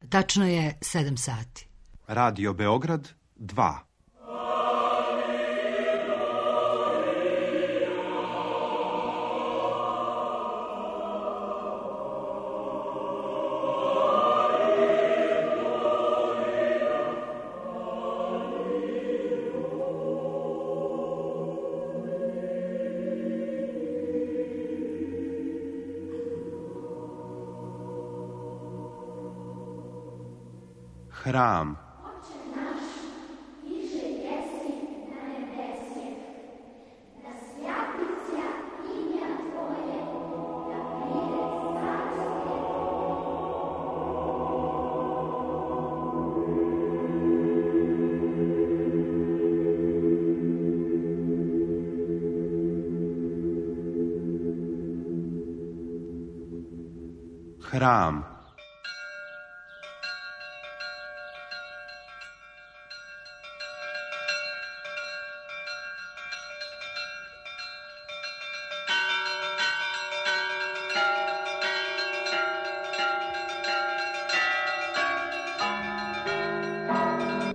Tačno je 7 sati. Radio Beograd 2. Hram. Hram.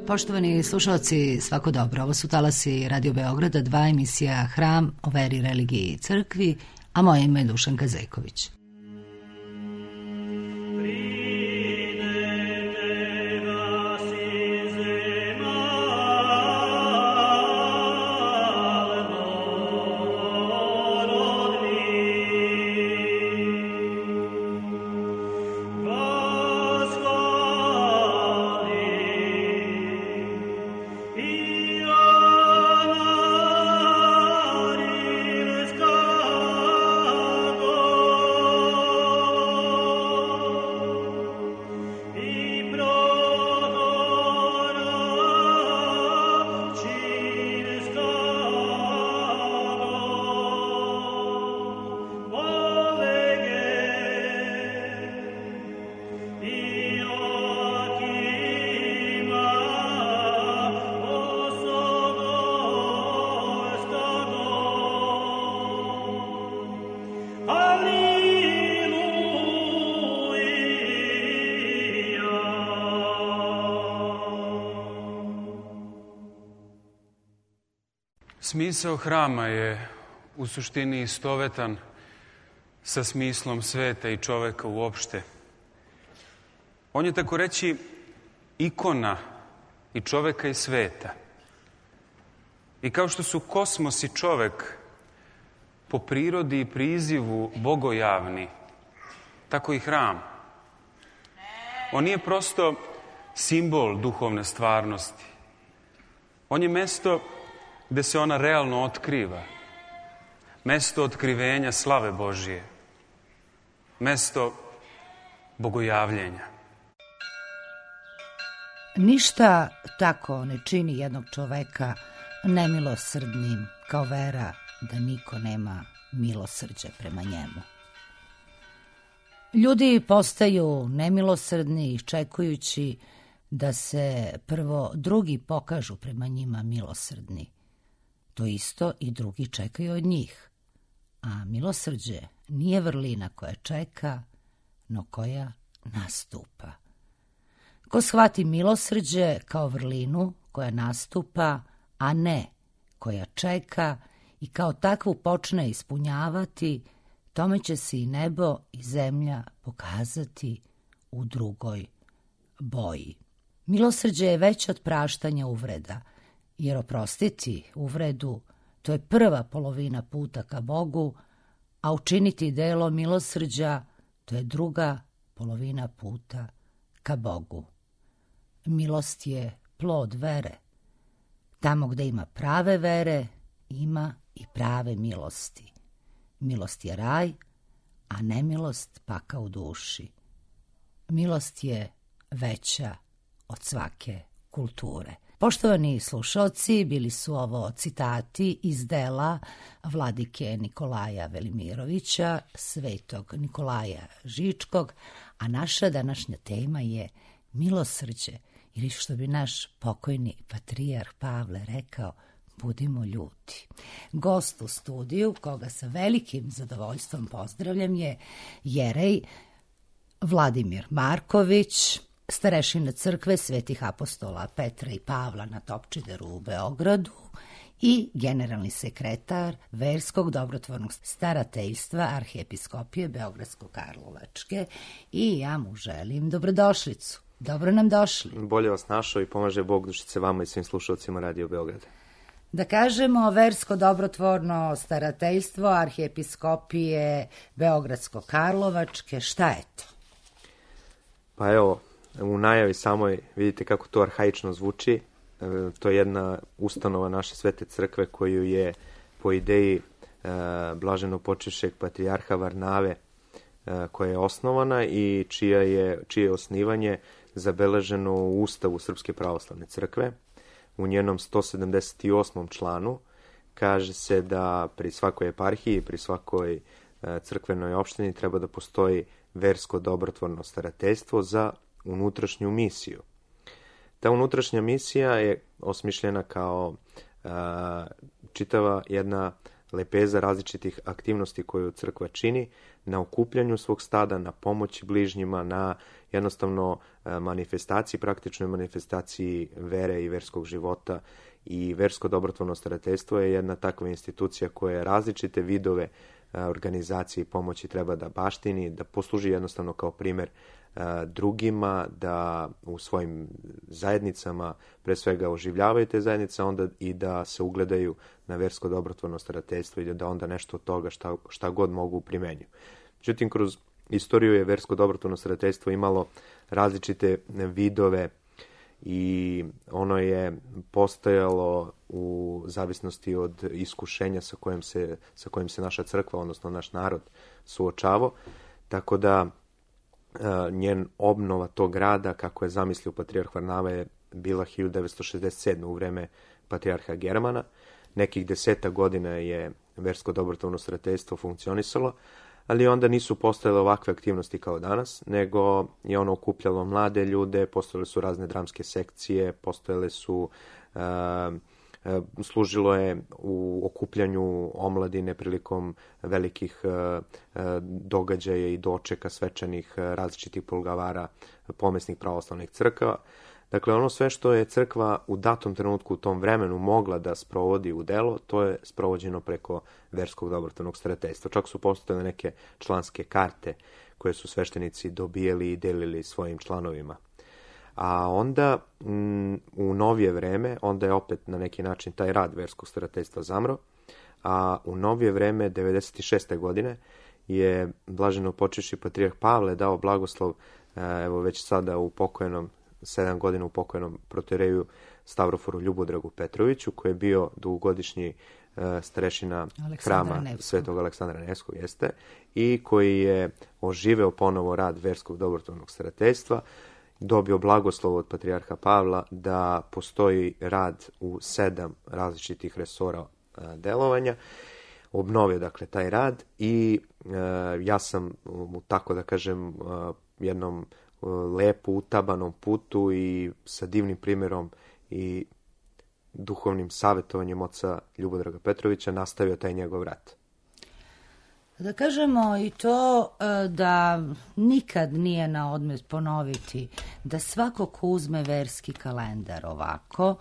Poštovani slušalci, svako dobro. Ovo su talasi Radio Beograda 2, emisija Hram o veri, religiji i crkvi, a moje ime je Dušanka Zejković. Smisao hrama je u suštini istovetan sa smislom sveta i čoveka uopšte. On je tako reći ikona i čoveka i sveta. I kao što su kosmos i čovek po prirodi i prizivu bogojavni, tako i hram. On nije prosto simbol duhovne stvarnosti. On je mesto gde se ona realno otkriva. Mesto otkrivenja slave Božije. Mesto bogojavljenja. Ništa tako ne čini jednog čoveka nemilosrdnim kao vera da niko nema milosrđa prema njemu. Ljudi postaju nemilosrdni iščekujući da se prvo drugi pokažu prema njima milosrdni. To isto i drugi čekaju od njih. A milosrđe nije vrlina koja čeka, no koja nastupa. Ko shvati milosrđe kao vrlinu koja nastupa, a ne koja čeka i kao takvu počne ispunjavati, tome će se i nebo i zemlja pokazati u drugoj boji. Milosrđe je veće od praštanja uvreda, jer oprostiti uvredu, to je prva polovina puta ka Bogu, a učiniti delo milosrđa, to je druga polovina puta ka Bogu. Milost je plod vere. Tamo gde ima prave vere, ima i prave milosti. Milost je raj, a nemilost pakao u duši. Milost je veća od svake kulture. Poštovani slušalci, bili su ovo citati iz dela vladike Nikolaja Velimirovića, svetog Nikolaja Žičkog, a naša današnja tema je milosrđe, ili što bi naš pokojni patrijarh Pavle rekao, budimo ljuti. Gost u studiju, koga sa velikim zadovoljstvom pozdravljam, je jerej Vladimir Marković, starešina crkve Svetih apostola Petra i Pavla na Topčideru u Beogradu i generalni sekretar Verskog dobrotvornog starateljstva Arhijepiskopije Beogradsko-Karlovačke i ja mu želim dobrodošlicu. Dobro nam došli. Bolje vas našao i pomaže Bog dušice vama i svim slušalcima Radio Beograda. Da kažemo, Versko dobrotvorno starateljstvo Arhijepiskopije Beogradsko-Karlovačke, šta je to? Pa evo, u najavi samoj vidite kako to arhaično zvuči. To je jedna ustanova naše Svete crkve koju je po ideji blaženo počivšeg patrijarha Varnave koja je osnovana i čije osnivanje zabeleženo u Ustavu Srpske pravoslavne crkve. U njenom 178. članu kaže se da pri svakoj eparhiji, pri svakoj crkvenoj opštini treba da postoji versko dobrotvorno starateljstvo za unutrašnju misiju. Ta unutrašnja misija je osmišljena kao čitava jedna lepeza različitih aktivnosti koju crkva čini na okupljanju svog stada, na pomoći bližnjima, na jednostavno manifestaciji, praktičnoj manifestaciji vere i verskog života. I versko dobrotvorno starateljstvo je jedna takva institucija koja različite vidove organizacije i pomoći treba da baštini, da posluži jednostavno kao primer drugima, da u svojim zajednicama pre svega oživljavaju te zajednice, onda i da se ugledaju na versko dobrotvorno starateljstvo i da onda nešto od toga šta god mogu primenju. Međutim, kroz istoriju je versko dobrotvorno starateljstvo imalo različite vidove i ono je postojalo u zavisnosti od iskušenja sa kojim se naša crkva, odnosno naš narod suočavao, tako da njen obnova tog grada, kako je zamislio patrijarh Varnava, je bila 1967. u vreme patrijarha Germana. Nekih 10 godina je versko dobrotvorno starateljstvo funkcionisalo, ali onda nisu postojale ovakve aktivnosti kao danas, nego je ono okupljalo mlade ljude, postojale su razne dramske sekcije, postojale su, služilo je u okupljanju omladine prilikom velikih događaja i dočeka svečanih različitih poglavara pomesnih pravoslavnih crkava. Dakle, ono sve što je crkva u datom trenutku u tom vremenu mogla da sprovodi u delo, to je sprovođeno preko verskog dobrotvornog starateljstva. Čak su postojale neke članske karte koje su sveštenici dobijali i delili svojim članovima. A onda u novije vreme, onda je opet na neki način taj rad verskog starateljstva zamro, a u novije vreme, 96. godine, je blaženo počivši patrijarh Pavle dao blagoslov, evo već sada u pokojnom 7 godina u pokojnom protoreju Stavroforu Ljubodragu Petroviću, koji je bio dugogodišnji starešina hrama Svetog Aleksandra Nevskog, jeste, i koji je oživeo ponovo rad verskog dobrotvornog starateljstva, dobio blagoslov od patrijarha Pavla da postoji rad u 7 različitih resora delovanja. Obnovio dakle taj rad i ja sam tako da kažem jednom lepo utabanom putu i sa divnim primjerom i duhovnim savjetovanjem oca Ljubodraga Petrovića nastavio taj njegov rad. Da kažemo i to da nikad nije na odmet ponoviti da svako ko uzme verski kalendar ovako,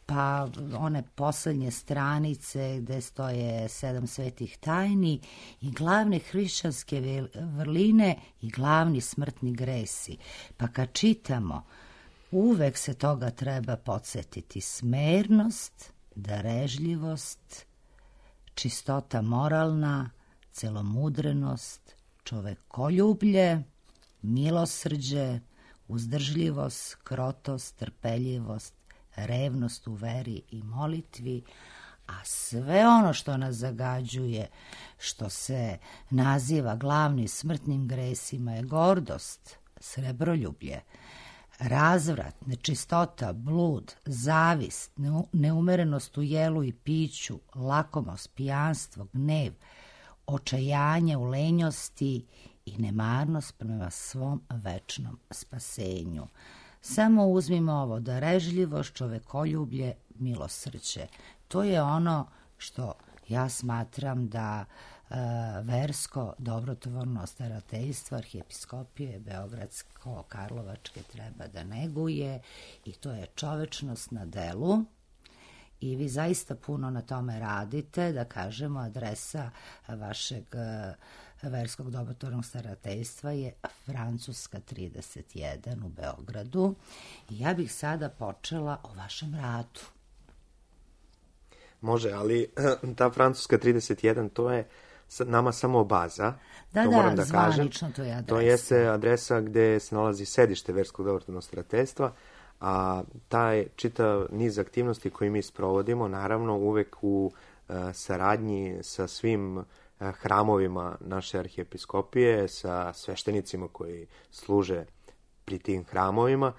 pa one poslednje stranice gde stoje 7 svetih tajni i glavne hrišćanske vrline i glavni smrtni gresi. Pa kad čitamo, uvek se toga treba podsjetiti: smernost, darežljivost, čistota moralna, celomudrenost, čovekoljublje, milosrđe, uzdržljivost, krotost, trpeljivost, revnost u veri i molitvi, a sve ono što nas zagađuje, što se naziva glavnim smrtnim gresima, je gordost, srebroljublje, razvrat, nečistota, blud, zavist, neumerenost u jelu i piću, lakomost, pijanstvo, gnev, očajanje u lenjosti i nemarnost prema svom večnom spasenju. Samo uzmimo ovo: darežljivost, čovekoljublje, milosrđe. To je ono što ja smatram da versko dobrotvorno starateljstvo arhijepiskopije Beogradsko-Karlovačke treba da neguje i to je čovečnost na delu. I vi zaista puno na tome radite, da kažemo, adresa vašeg verskog dobrotvornog starateljstva je Francuska 31 u Beogradu. I ja bih sada počela o vašem radu. Može, ali ta Francuska 31, to je nama samo baza. Da, to moram da kažem. Zvanično to je adresa. To jeste adresa gde se nalazi sedište verskog dobrotvornog starateljstva, a taj čitav niz aktivnosti koji mi sprovodimo, naravno uvek u saradnji sa svim hramovima naše arhijepiskopije, sa sveštenicima koji služe pri tim hramovima,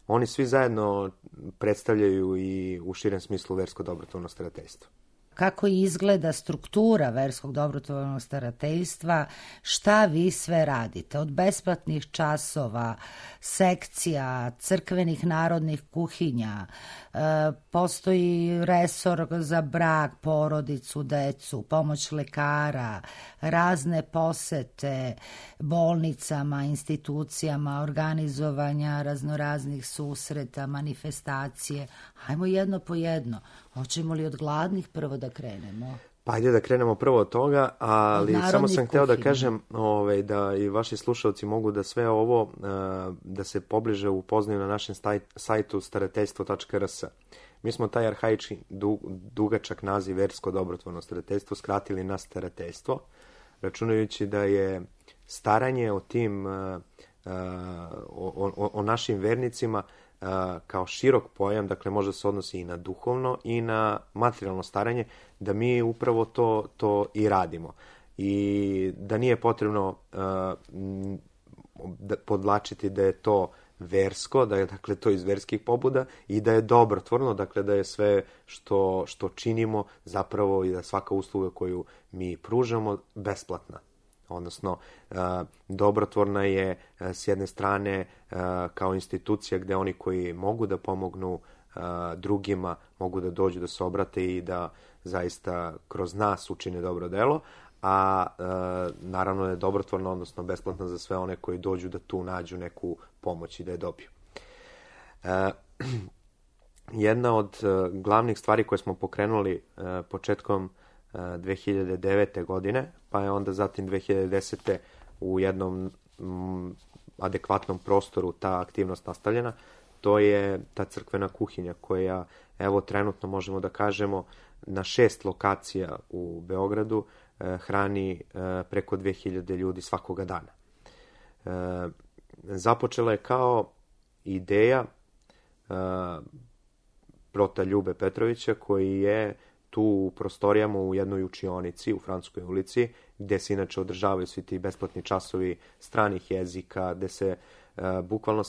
oni svi zajedno predstavljaju i u širem smislu versko dobrotvorno starateljstvo. Kako izgleda struktura verskog dobrotvornog starateljstva, šta vi sve radite? Od besplatnih časova, sekcija, crkvenih narodnih kuhinja, postoji resor za brak, porodicu, decu, pomoć lekara, razne posete bolnicama, institucijama, organizovanja raznoraznih susreta, manifestacije. Hajmo jedno po jedno. Hoćemo li od gladnih prvo da krenemo? Pa ajde da krenemo prvo od toga, ali samo sam hteo da kažem da i vaši slušalci mogu da sve ovo, da se pobliže upoznaju na našem sajtu starateljstvo.rs. Mi smo taj arhaički dugačak naziv versko dobrotvorno starateljstvo skratili na starateljstvo, računajući da je staranje o tim, o našim vernicima kao širok pojam, dakle može se odnosi i na duhovno i na materijalno staranje, da mi upravo to i radimo. I da nije potrebno podlačiti da je to versko, da je dakle to iz verskih pobuda i da je dobrotvorno, dakle da je sve što činimo zapravo i da svaka usluga koju mi pružamo besplatna. Odnosno, dobrotvorna je s jedne strane kao institucija gde oni koji mogu da pomognu drugima, mogu da dođu da se obrate i da zaista kroz nas učine dobro delo, a naravno je dobrotvorna, odnosno besplatna za sve one koji dođu da tu nađu neku pomoć i da je dobiju. Jedna od glavnih stvari koje smo pokrenuli početkom 2009. godine, pa je onda zatim 2010. u jednom adekvatnom prostoru ta aktivnost nastavljena, to je ta crkvena kuhinja koja, evo trenutno možemo da kažemo, na 6 lokacija u Beogradu hrani preko 2000 ljudi svakoga dana. Započela je kao ideja prota Ljube Petrovića, koji je tu u prostorijama u jednoj učionici u Francuskoj ulici, gde se inače održavaju svi ti besplatni časovi stranih jezika, gde se bukvalno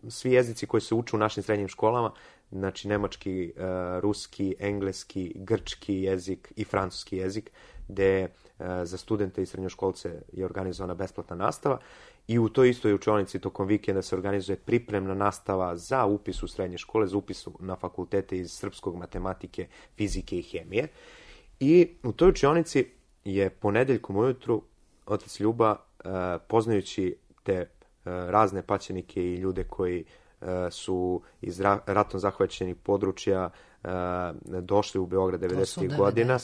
svi jezici koji se uče u našim srednjim školama, znači nemački, ruski, engleski, grčki jezik i francuski jezik, gde za studente i srednjoškolce je organizovana besplatna nastava i u toj istoj učionici tokom vikenda se organizuje pripremna nastava za upis u srednje škole, za upis na fakultete iz srpskog, matematike, fizike i hemije. I u toj učionici je ponedeljkom ujutru otac Ljuba, poznajući te razne paćenike i ljude koji su iz ratom zahvaćenih područja došli u Beograd 90. godina.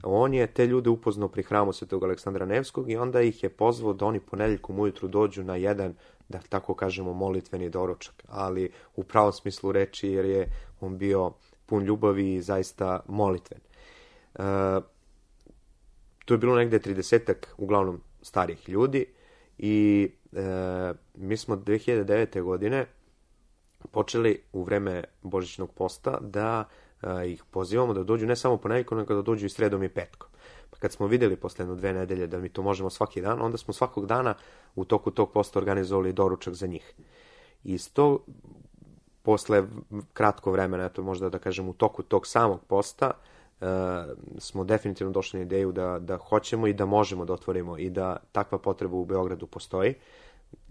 On je te ljude upoznao pri hramu Svetog Aleksandra Nevskog i onda ih je pozvao da oni ponedeljkom ujutru dođu na jedan, da tako kažemo, molitveni doručak, ali u pravom smislu reči, jer je on bio pun ljubavi i zaista molitven. Tu je bilo negde 30-ak uglavnom starih ljudi i mi smo 2009. godine počeli u vreme Božićnog posta da ih pozivamo da dođu ne samo ponedeljkom, nego da dođu i sredom i petkom. Pa kad smo videli posle 2 nedelje da mi to možemo svaki dan, onda smo svakog dana u toku tog posta organizovali doručak za njih. I posle kratko vremena, eto možda da kažem u toku tog samog posta, smo definitivno došli na ideju da hoćemo i da možemo da otvorimo i da takva potreba u Beogradu postoji,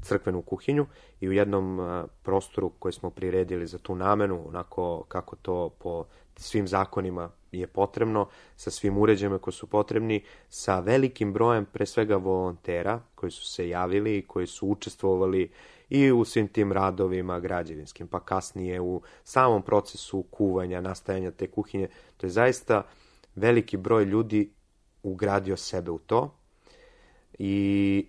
crkvenu kuhinju, i u jednom prostoru koji smo priredili za tu namenu, onako kako to po svim zakonima je potrebno, sa svim uređajima koji su potrebni, sa velikim brojem pre svega volontera koji su se javili i koji su učestvovali i u svim tim radovima građevinskim, pa kasnije u samom procesu kuvanja, nastajanja te kuhinje. To je zaista veliki broj ljudi ugradio sebe u to i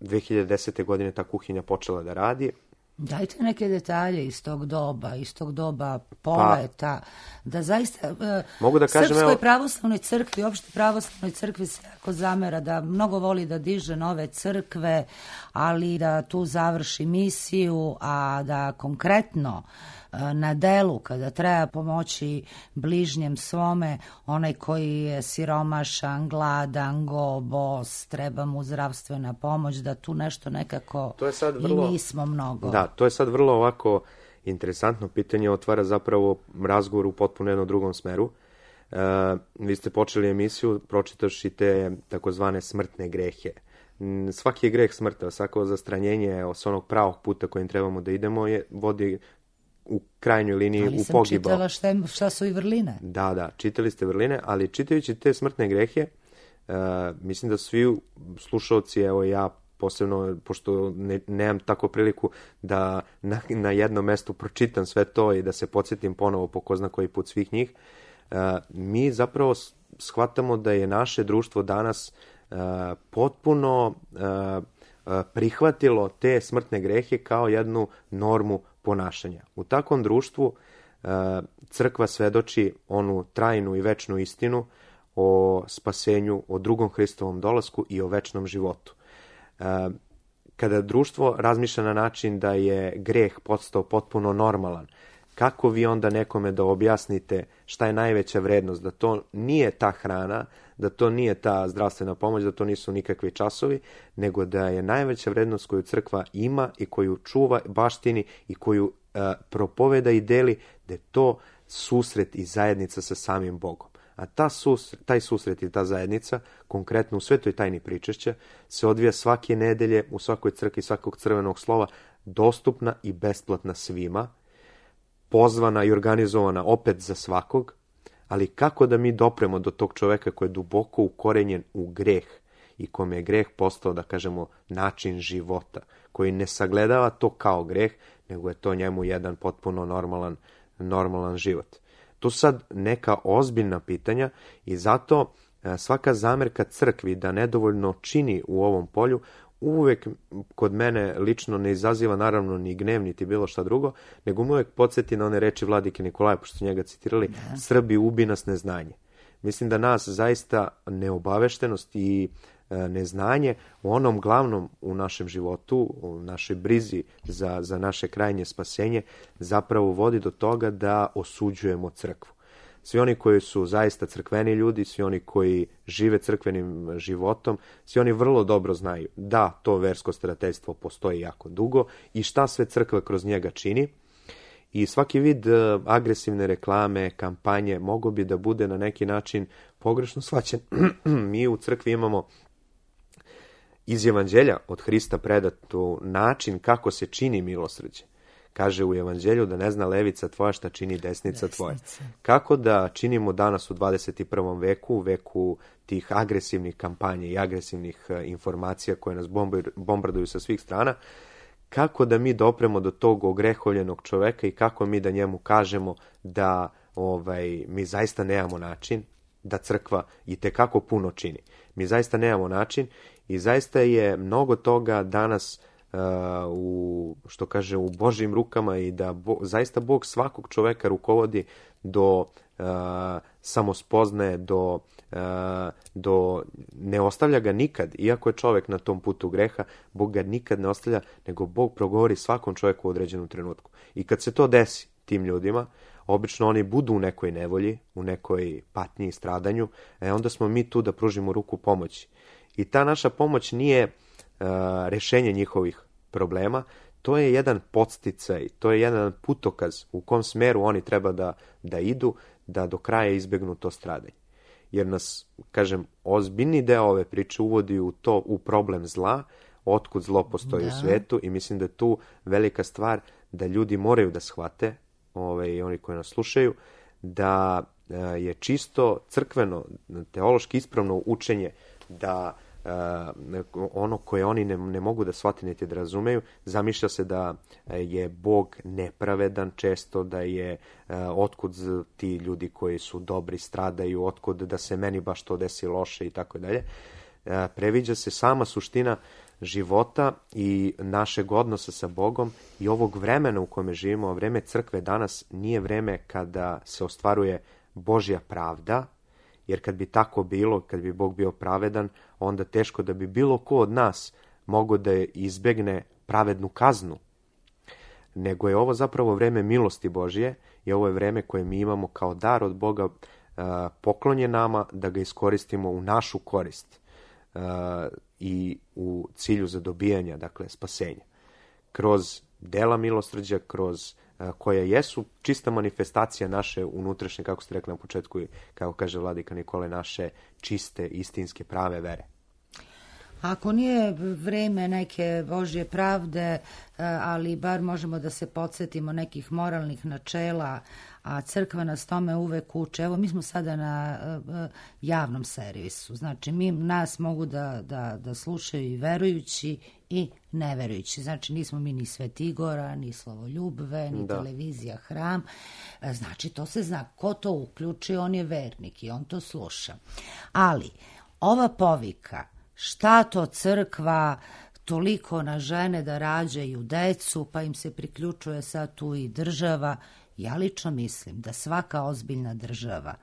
2010. godine ta kuhinja počela da radi. Dajte neke detalje iz tog doba poleta, da zaista mogu da kažem, Srpskoj pravoslavnoj crkvi, uopšte pravoslavnoj crkvi se jako zamera da mnogo voli da diže nove crkve, ali da tu završi misiju, a da konkretno na delu, kada treba pomoći bližnjem svome, onaj koji je siromašan, gladan, go, bos, treba mu zdravstvena pomoć, da tu nešto nekako i nismo mnogo. Da, to je sad vrlo ovako interesantno pitanje, otvara zapravo razgovor u potpuno jednom drugom smeru. Vi ste počeli emisiju pročitavši te takozvane smrtne grehe. Svaki je greh smrta, svako zastranjenje s onog pravog puta kojim trebamo da idemo vodi u krajnjoj liniji u pogibao. Ali sam čitala šta su i vrline. Da, čitali ste vrline, ali čitajući te smrtne grehe, mislim da svi slušalci, evo ja posebno, pošto nemam tako priliku da na jednom mestu pročitam sve to i da se podsjetim ponovo po ko zna koji put svih njih, mi zapravo shvatamo da je naše društvo danas potpuno prihvatilo te smrtne grehe kao jednu normu ponašanja. U takvom društvu crkva svedoči onu trajnu i večnu istinu o spasenju, o drugom Hristovom dolasku i o večnom životu. Kada društvo razmišlja na način da je greh postao potpuno normalan, kako vi onda nekome da objasnite šta je najveća vrednost, da to nije ta hrana, da to nije ta zdravstvena pomoć, da to nisu nikakvi časovi, nego da je najveća vrednost koju crkva ima i koju čuva, baštini i koju propoveda i deli, da je to susret i zajednica sa samim Bogom. A taj susret i ta zajednica, konkretno u Svetoj tajni pričešća, se odvija svake nedelje u svakoj crkvi svakog crvenog slova, dostupna i besplatna svima, pozvana i organizovana opet za svakog, ali kako da mi dopremo do tog čoveka koji je duboko ukorenjen u greh i kome je greh postao, da kažemo, način života, koji ne sagledava to kao greh, nego je to njemu jedan potpuno normalan život. To su sad neka ozbiljna pitanja i zato svaka zamerka crkvi da nedovoljno čini u ovom polju uvek kod mene lično ne izaziva naravno ni gnev, niti bilo šta drugo, nego uvek podsjeti na one reči vladike Nikolaja, pošto su njega citirali, Srbi, ubi nas neznanje. Mislim da nas zaista neobaveštenost i neznanje u onom glavnom u našem životu, u našoj brizi za naše krajnje spasenje, zapravo vodi do toga da osuđujemo crkvu. Svi oni koji su zaista crkveni ljudi, svi oni koji žive crkvenim životom, svi oni vrlo dobro znaju da to versko starateljstvo postoji jako dugo i šta sve crkva kroz njega čini. I svaki vid agresivne reklame, kampanje mogao bi da bude na neki način pogrešno shvaćen. Mi u crkvi imamo iz Evanđelja od Hrista predatu način kako se čini milosrđe. Kaže u Evanđelju da ne zna levica tvoja šta čini desnica tvoja. Kako da činimo danas u 21. veku, u veku tih agresivnih kampanja i agresivnih informacija koje nas bombarduju sa svih strana, kako da mi dopremo do tog ogrehovljenog čoveka i kako mi da njemu kažemo da mi zaista nemamo način, da crkva itekako puno čini. Mi zaista nemamo način i zaista je mnogo toga danas u Božjim rukama i da zaista Bog svakog čoveka rukovodi do samospoznaje, do ne ostavlja ga nikad, iako je čovek na tom putu greha, Bog ga nikad ne ostavlja, nego Bog progovori svakom čoveku u određenom trenutku. I kad se to desi tim ljudima, obično oni budu u nekoj nevolji, u nekoj patnji i stradanju, onda smo mi tu da pružimo ruku pomoći. I ta naša pomoć nije rešenje njihovih problema, to je jedan podsticaj, to je jedan putokaz u kom smeru oni treba da idu, da do kraja izbegnu to stradanje. Jer nas, ozbiljni deo ove priče uvodi u problem zla, otkud zlo postoji u svetu i mislim da je tu velika stvar da ljudi moraju da shvate, i oni koji nas slušaju, da je čisto crkveno, teološki ispravno učenje da ono koje oni ne mogu da shvate niti da razumeju, zamišlja se da je Bog nepravedan često, da je otkud ti ljudi koji su dobri stradaju, otkud da se meni baš to desi loše i tako dalje. Previđa se sama suština života i našeg odnosa sa Bogom i ovog vremena u kome živimo. Vreme crkve danas nije vreme kada se ostvaruje Božja pravda, jer kad bi tako bilo, kad bi Bog bio pravedan, onda teško da bi bilo ko od nas mogao da izbegne pravednu kaznu. Nego je ovo zapravo vreme milosti Božje i ovo je vreme koje mi imamo kao dar od Boga poklonje nama da ga iskoristimo u našu korist i u cilju zadobijanja, dakle spasenja. Kroz dela milosrđa, kroz koja jesu čista manifestacija naše unutrašnje, kako ste rekli na početku, kako kaže vladika Nikolaj, naše čiste, istinske, prave vere. Ako nije vreme neke Božje pravde, ali bar možemo da se podsjetimo nekih moralnih načela, a crkva nas tome uvek uče. Evo, mi smo sada na javnom servisu. Znači, nas mogu da slušaju i verujući i neverujući. Znači, nismo mi ni Svetigora, ni Slovoljubve, ni televizija Hram. Znači, to se zna. Ko to uključi, on je vernik i on to sluša. Ali, ova povika, šta to crkva toliko na žene da rađaju decu, pa im se priključuje sad tu i država. Ja lično mislim da svaka ozbiljna država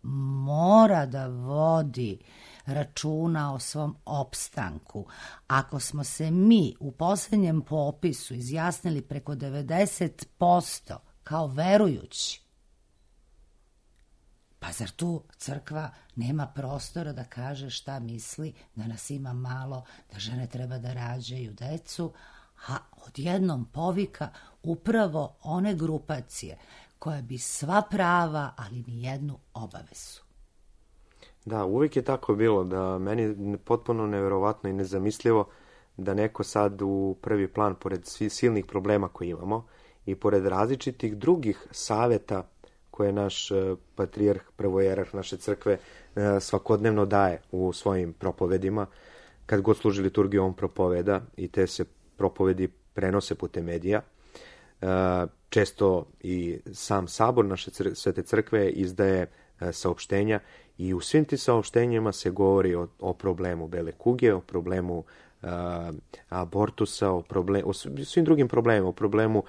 mora da vodi računa o svom opstanku. Ako smo se mi u posljednjem popisu izjasnili preko 90% kao verujući, pa zar tu crkva nema prostora da kaže šta misli, da nas ima malo, da žene treba da rađaju decu, a odjednom povika upravo one grupacije koje bi sva prava, ali ni jednu obavezu. Da, uvijek je tako bilo, da meni je potpuno neverovatno i nezamislivo da neko sad u prvi plan, pored svih silnih problema koje imamo i pored različitih drugih saveta koje naš patrijarh, prvojerarh naše crkve svakodnevno daje u svojim propovedima. Kad god služi liturgiju, on propoveda i te se propovedi prenose putem medija. Često i sam sabor naše svete crkve izdaje saopštenja i u svim tim saopštenjima se govori o problemu bele kuge, o problemu abortusa, o svim drugim problemima, o problemu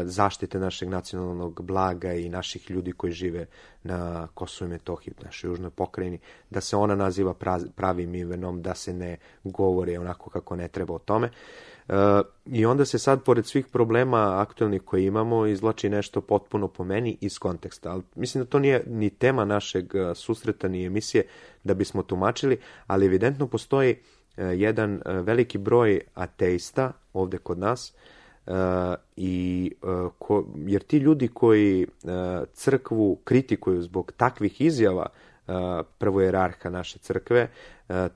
zaštite našeg nacionalnog blaga i naših ljudi koji žive na Kosovu i Metohiji, u našoj južnoj pokrajini, da se ona naziva pravim imenom, da se ne govori onako kako ne treba o tome. I onda se sad, pored svih problema aktualnih koje imamo, izvlači nešto potpuno po meni iz konteksta. Ali mislim da to nije ni tema našeg susreta, ni emisije da bismo tumačili, ali evidentno postoji jedan veliki broj ateista ovde kod nas, jer ti ljudi koji crkvu kritikuju zbog takvih izjava prvojerarha naše crkve,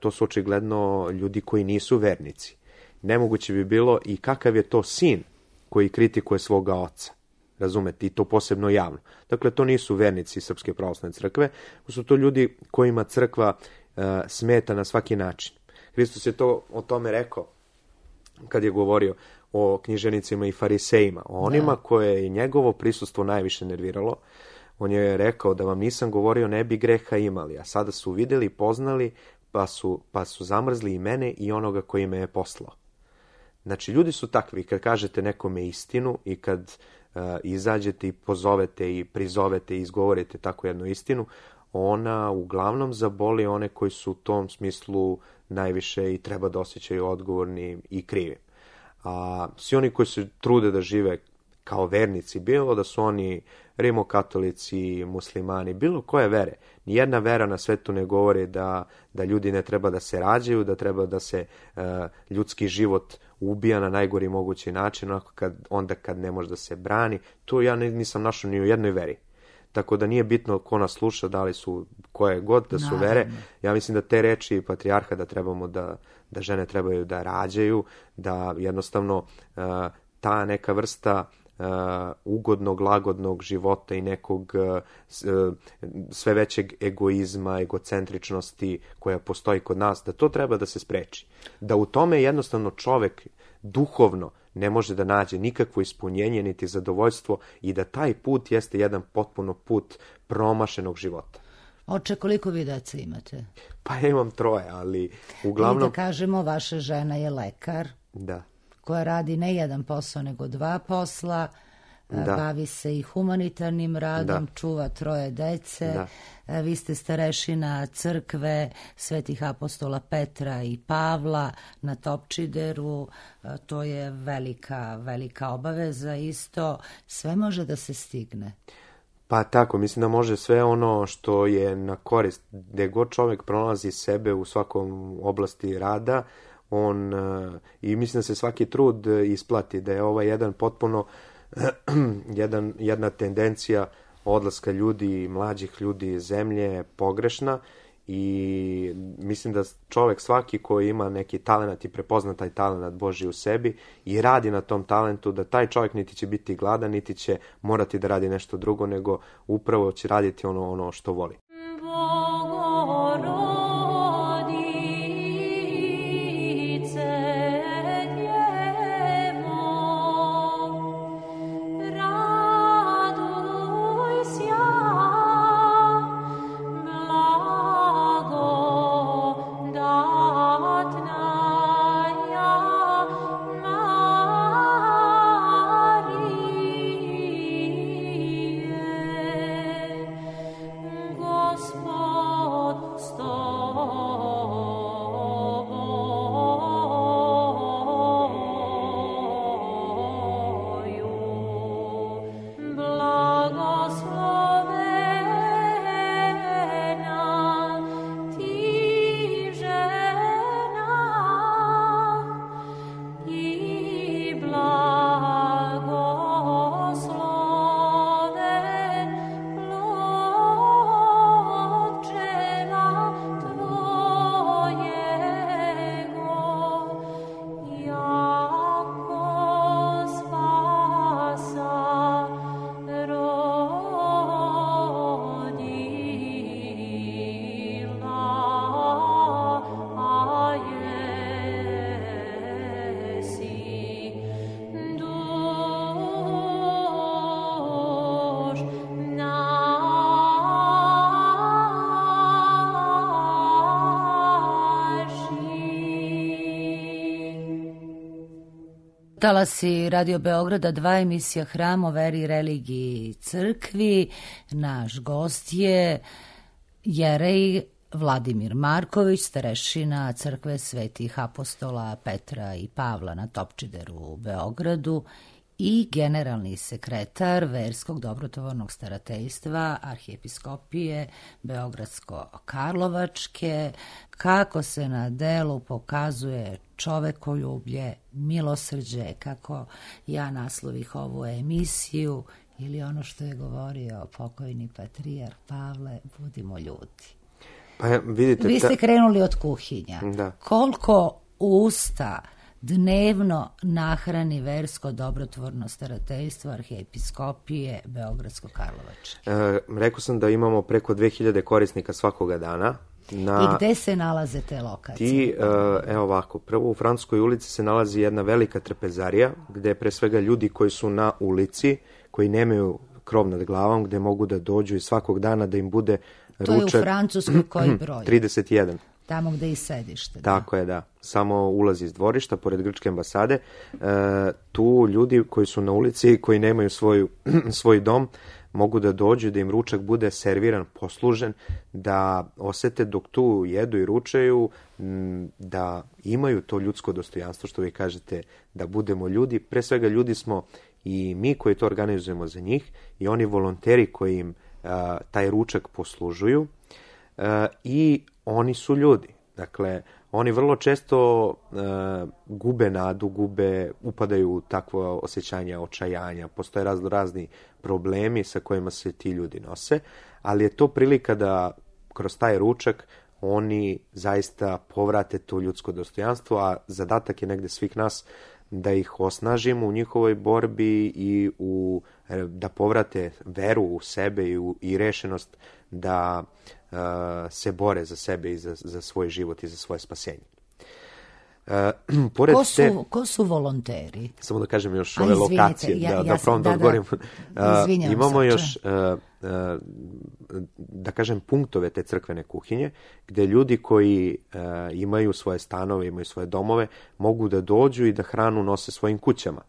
to su očigledno ljudi koji nisu vernici. Nemoguće bi bilo i kakav je to sin koji kritikuje svoga oca. Razumete, i to posebno javno. Dakle, to nisu vernici Srpske pravoslavne crkve, su to ljudi kojima crkva smeta na svaki način. Hristos je to o tome rekao kad je govorio o književnicima i farisejima, o onima koje je njegovo prisustvo najviše nerviralo. On je rekao da vam nisam govorio ne bi greha imali, a sada su vidjeli, poznali, pa su zamrzli i mene i onoga koji me je poslao. Znači, ljudi su takvi, kad kažete nekome istinu i kad izađete i pozovete i prizovete i izgovorite tako jednu istinu, ona uglavnom zaboli one koji su u tom smislu najviše i treba da osjećaju odgovorni i krivi. A svi oni koji se trude da žive kao vernici, bilo da su oni rimokatolici, muslimani, bilo koje vere. Nijedna vera na svetu ne govori da ljudi ne treba da se rađaju, da treba da se ljudski život ubija na najgori mogući način, onda kad ne može da se brani. To ja nisam našao ni u jednoj veri. Tako da nije bitno ko nas sluša, da li su koje god da su vere. Ja mislim da te reči patrijarha da trebamo da žene trebaju da rađaju, da jednostavno ta neka vrsta ugodnog, lagodnog života i nekog sve većeg egoizma, egocentričnosti koja postoji kod nas, da to treba da se spreči. Da u tome jednostavno čovek duhovno ne može da nađe nikakvo ispunjenje niti zadovoljstvo i da taj put jeste jedan potpuno put promašenog života. Oče, koliko vi dece imate? Pa ja imam 3, ali uglavnom... I da kažemo, vaša žena je lekar, da, koja radi ne jedan posao, nego 2 posla, bavi se i humanitarnim radom, čuva 3 dece, vi ste starešina crkve Svetih apostola Petra i Pavla na Topčideru, to je velika obaveza isto, sve može da se stigne. Pa tako, mislim da može sve ono što je na korist, gde god čovek pronalazi sebe u svakom oblasti rada, i mislim da se svaki trud isplati, da je jedan potpuno jedna tendencija odlaska ljudi, mlađih ljudi iz zemlje pogrešna i mislim da čovek svaki koji ima neki talenat i prepozna taj talenat Božji u sebi i radi na tom talentu, da taj čovjek niti će biti gladan, niti će morati da radi nešto drugo, nego upravo će raditi ono što voli. Talasi Radio Beograda 2, emisija Hram o veri, religiji i crkvi. Naš gost je jerej Vladimir Marković, starešina crkve Svetih apostola Petra i Pavla na Topčideru u Beogradu i generalni sekretar Verskog dobrotvornog starateljstva Arhijepiskopije Beogradsko-Karlovačke. Kako se na delu pokazuje čovekoljublje, milosrđe, kako ja naslovih ovu emisiju, ili ono što je govorio pokojni patrijarh Pavle, budimo ljudi. Pa vidite, vi ste krenuli od kuhinja. Da. Koliko usta dnevno nahrani Versko dobrotvorno starateljstvo Arhijepiskopije Beogradsko-Karlovačke? Rekao sam da imamo preko 2000 korisnika svakoga dana. I gde se nalaze te lokacije? Evo ovako, prvo u Francuskoj ulici se nalazi jedna velika trpezarija, gde pre svega ljudi koji su na ulici, koji nemaju krov nad glavom, gde mogu da dođu i svakog dana da im bude ručak. To je u Francuskoj koji broj? 31. Tamo gde i sedište. Tako je, da. Samo ulazi iz dvorišta, pored grčke ambasade. Tu ljudi koji su na ulici, koji nemaju svoj dom, mogu da dođu, da im ručak bude serviran, poslužen, da osete dok tu jedu i ručaju, da imaju to ljudsko dostojanstvo, što vi kažete, da budemo ljudi. Pre svega ljudi smo i mi koji to organizujemo za njih i oni volonteri koji im taj ručak poslužuju i oni su ljudi. Dakle, oni vrlo često gube nadu, upadaju u takvo osjećanje očajanja, postoje razni problemi sa kojima se ti ljudi nose, ali je to prilika da kroz taj ručak oni zaista povrate to ljudsko dostojanstvo, a zadatak je negde svih nas da ih osnažimo u njihovoj borbi i da povrate veru u sebe i rešenost da se bore za sebe i za svoj život i za svoje spasenje. Ko su volonteri? Samo da kažem još ove lokacije, da probam da odgovorim. Imamo još, da kažem, punktove te crkvene kuhinje, gde ljudi koji imaju svoje stanove, imaju svoje domove, mogu da dođu i da hranu nose svojim kućama.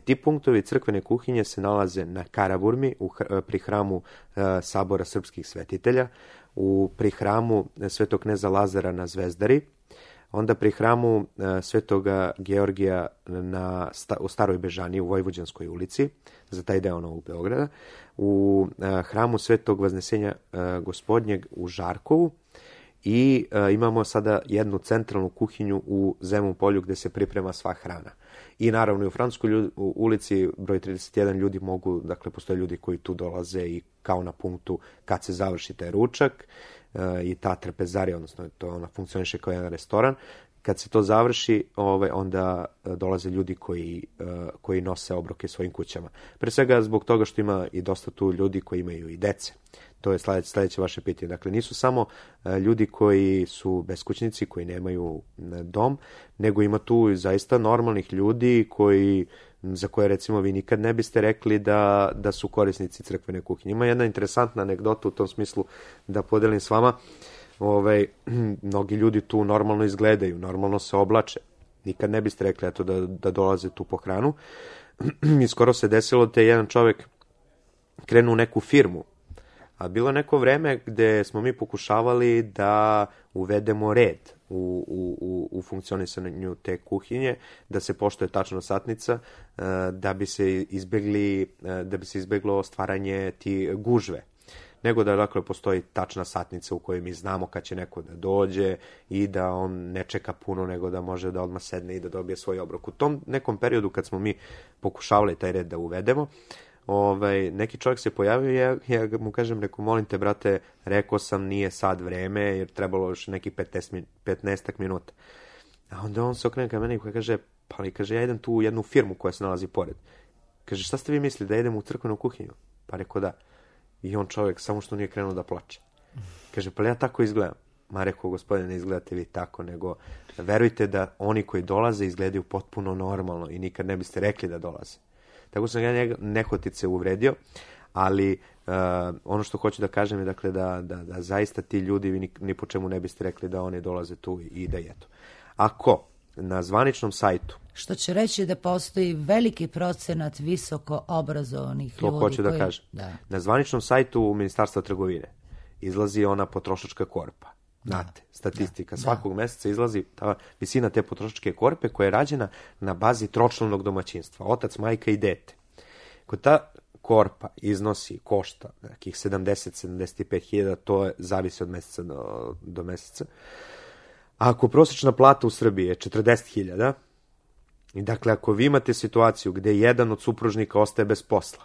Ti punktovi crkvene kuhinje se nalaze na Karaburmi, pri hramu Sabora srpskih svetitelja, pri hramu Svetog kneza Lazara na Zvezdari, onda pri hramu Svetoga Georgija u Staroj Bežani u Vojvođanskoj ulici, za taj deo Novog Beograda, u hramu Svetog Vaznesenja Gospodnjeg u Žarkovu i imamo sada jednu centralnu kuhinju u Zemun polju gde se priprema sva hrana. I naravno i u Francuskoj ulici broj 31 ljudi mogu, dakle postoje ljudi koji tu dolaze i kao na punktu kad se završi taj ručak i ta trpezarija, odnosno to ona funkcioniše kao jedan restoran. Kad se to završi, onda dolaze ljudi koji nose obroke svojim kućama. Pre svega zbog toga što ima i dosta tu ljudi koji imaju i dece. To je sledeće vaše pitanje. Dakle, nisu samo ljudi koji su beskućnici, koji nemaju dom, nego ima tu zaista normalnih ljudi za koje recimo vi nikad ne biste rekli da su korisnici crkvene kuhinje. Ima jedna interesantna anegdota u tom smislu da podelim s vama. Mnogi ljudi tu normalno izgledaju, normalno se oblače. Nikad ne biste rekli da dolaze tu po hranu. I skoro se desilo da je jedan čovek krenuo u neku firmu. A bilo je neko vreme gde smo mi pokušavali da uvedemo red u funkcionisanju te kuhinje, da se poštuje tačno satnica, da bi se izbeglo stvaranje ti gužve. Nego da dakle postoji tačna satnica u kojoj mi znamo kad će neko da dođe i da on ne čeka puno, nego da može da odmah sedne i da dobije svoj obrok. U tom nekom periodu kad smo mi pokušavali taj red da uvedemo, neki čovjek se pojavio i ja mu kažem, molim te brate, rekao sam nije sad vreme jer trebalo još neki 15 minuta. A onda on se okrene ka meni i kaže, ja idem tu u jednu firmu koja se nalazi pored. Kaže, šta ste vi mislili, da idem u crkvenu kuhinju? Pa rekao da. I on čovjek samo što nije krenuo da plače. Kaže, pa ja tako izgledam. Ma rekao, gospodine, ne izgledate vi tako, nego verujte da oni koji dolaze izgledaju potpuno normalno i nikad ne biste rekli da dolaze. Tako sam ja njega nehotice uvredio, ali ono što hoću da kažem je dakle da zaista ti ljudi vi ni po čemu ne biste rekli da oni dolaze tu i da jedu. Ako na zvaničnom sajtu, što će reći da postoji veliki procenat visoko obrazovanih ljudi. To hoću da kažem. Da. Na zvaničnom sajtu Ministarstva trgovine izlazi ona potrošačka korpa. Znate, statistika. Svakog meseca izlazi ta visina te potrošačke korpe koja je rađena na bazi tročlanog domaćinstva. Otac, majka i dete. Kod ta korpa košta nekih 70-75 hiljada, to zavisi od meseca do meseca. A ako prosječna plata u Srbiji je 40 hiljada, i dakle ako vi imate situaciju gde jedan od supružnika ostaje bez posla,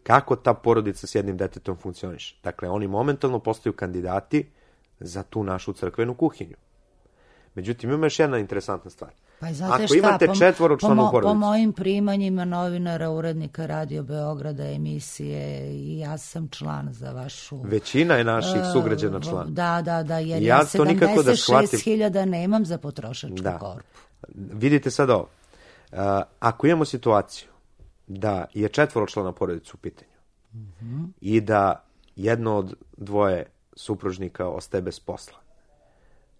kako ta porodica s jednim detetom funkcioniše? Dakle, oni momentalno postaju kandidati za tu našu crkvenu kuhinju. Međutim, ima još jedna interesantna stvar. Pa ako imate četvoročlanu porodicu... Po mojim primanjima novinara, urednika Radio Beograda, emisije, i ja sam član za vašu... Većina je naših sugrađana član. Da, jer ja 76.000 nemam za potrošačku korpu. Vidite sad ovo. Ako imamo situaciju da je četvoročlana porodica u pitanju i da jedno od dvoje supružnika ostaje bez posla,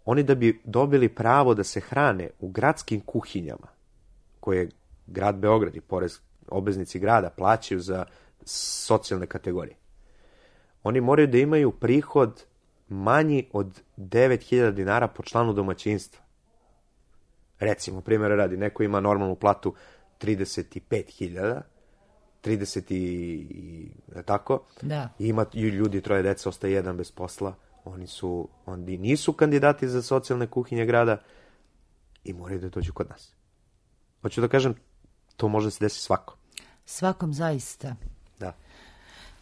oni da bi dobili pravo da se hrane u gradskim kuhinjama, koje grad Beograd i obveznici grada plaćaju za socijalne kategorije, oni moraju da imaju prihod manji od 9.000 dinara po članu domaćinstva. Recimo, primjera radi, neko ima normalnu platu 35.000, 30 i tako, i ima ljudi, troje deca, ostaje jedan bez posla, oni nisu kandidati za socijalne kuhinje grada i moraju da dođu kod nas. Hoću da kažem, to može se desiti svakom. Svakom zaista. Da.